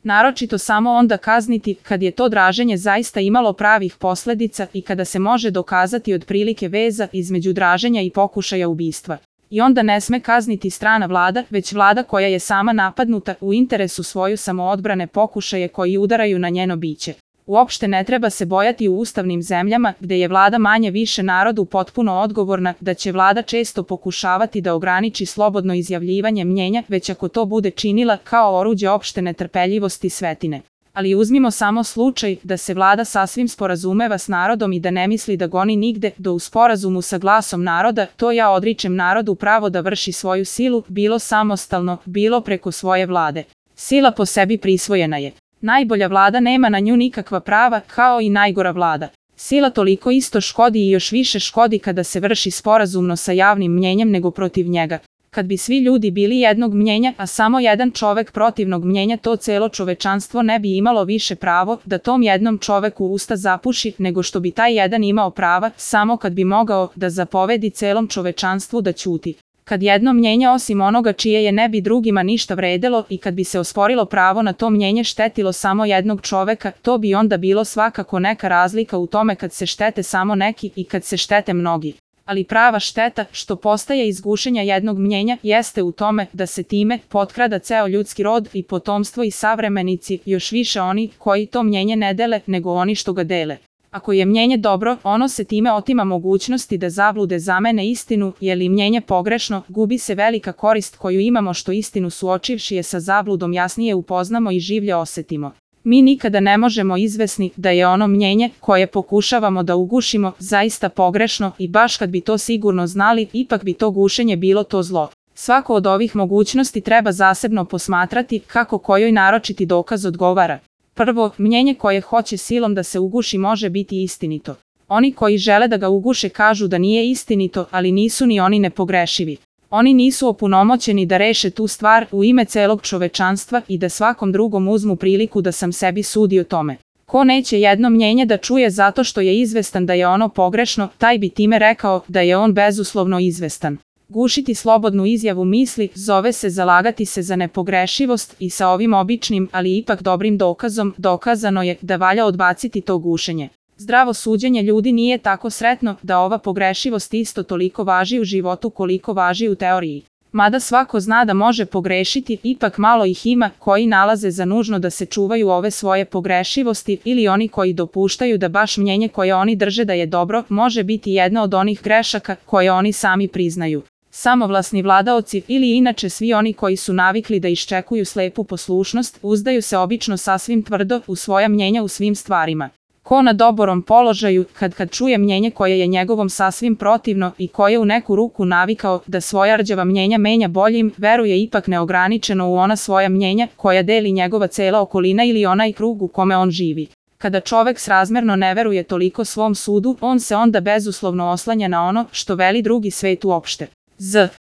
Naročito samo onda kazniti kad je to draženje zaista imalo pravih posledica i kada se može dokazati otprilike veza između draženja i pokušaja ubistva. I onda ne sme kazniti strana vlada, već vlada koja je sama napadnuta u interesu svoju samoodbrane pokušaje koji udaraju na njeno biće. Uopšte ne treba se bojati u ustavnim zemljama gde je vlada manje više narodu potpuno odgovorna da će vlada često pokušavati da ograniči slobodno izjavljivanje mnjenja, već ako to bude činila kao oruđe opšte netrpeljivosti svetine. Ali uzmimo samo slučaj da se vlada sasvim sporazumeva s narodom i da ne misli da goni nigde do u sporazumu sa glasom naroda, to ja odričem narodu pravo da vrši svoju silu, bilo samostalno, bilo preko svoje vlade. Sila po sebi prisvojena je. Najbolja vlada nema na nju nikakva prava, kao i najgora vlada. Sila toliko isto škodi i još više škodi kada se vrši sporazumno sa javnim mnjenjem nego protiv njega. Kad bi svi ljudi bili jednog mnjenja, a samo jedan čovek protivnog mnjenja, to celo čovečanstvo ne bi imalo više pravo da tom jednom čoveku usta zapuši, nego što bi taj jedan imao prava, samo kad bi mogao da zapovedi celom čovečanstvu da ćuti. Kad jedno mnjenje osim onoga čije je ne bi drugima ništa vredelo i kad bi se osporilo pravo na to mnjenje štetilo samo jednog čoveka, to bi onda bilo svakako neka razlika u tome kad se štete samo neki i kad se štete mnogi. Ali prava šteta, što postaje iz gušenja jednog mnjenja, jeste u tome da se time potkrada ceo ljudski rod i potomstvo i savremenici, još više oni koji to mnjenje ne dele nego oni što ga dele. Ako je mnjenje dobro, ono se time otima mogućnosti da zablude zamene istinu, je li mnjenje pogrešno, gubi se velika korist koju imamo što istinu suočivši je sa zabludom jasnije upoznamo i življe osetimo. Mi nikada ne možemo izvesni da je ono mnjenje koje pokušavamo da ugušimo zaista pogrešno i baš kad bi to sigurno znali, ipak bi to gušenje bilo to zlo. Svako od ovih mogućnosti treba zasebno posmatrati kako kojoj naročiti dokaz odgovara. Prvo, mnjenje koje hoće silom da se uguši može biti istinito. Oni koji žele da ga uguše kažu da nije istinito, ali nisu ni oni nepogrešivi. Oni nisu opunomoćeni da reše tu stvar u ime celog čovečanstva i da svakom drugom uzmu priliku da sam sebi sudi o tome. Ko neće jedno mnjenje da čuje zato što je izvestan da je ono pogrešno, taj bi time rekao da je on bezuslovno izvestan. Gušiti slobodnu izjavu misli zove se zalagati se za nepogrešivost i sa ovim običnim, ali ipak dobrim dokazom dokazano je da valja odbaciti to gušenje. Zdravo suđenje ljudi nije tako sretno da ova pogrešivost isto toliko važi u životu koliko važi u teoriji. Mada svako zna da može pogrešiti, ipak malo ih ima koji nalaze za nužno da se čuvaju ove svoje pogrešivosti ili oni koji dopuštaju da baš mnjenje koje oni drže da je dobro može biti jedna od onih grešaka koje oni sami priznaju. Samovlasni vladaoci ili inače svi oni koji su navikli da iščekuju slepu poslušnost, uzdaju se obično sasvim tvrdo u svoja mnjenja u svim stvarima. Ko na dobrom položaju, kad čuje mnjenje koje je njegovom sasvim protivno i koje u neku ruku navikao da svoja rđava mnjenja menja boljim, veruje ipak neograničeno u ona svoja mnjenja koja deli njegova cela okolina ili onaj krug u kome on živi. Kada čovek srazmerno ne veruje toliko svom sudu, on se onda bezuslovno oslanja na ono što veli drugi svet uopšte.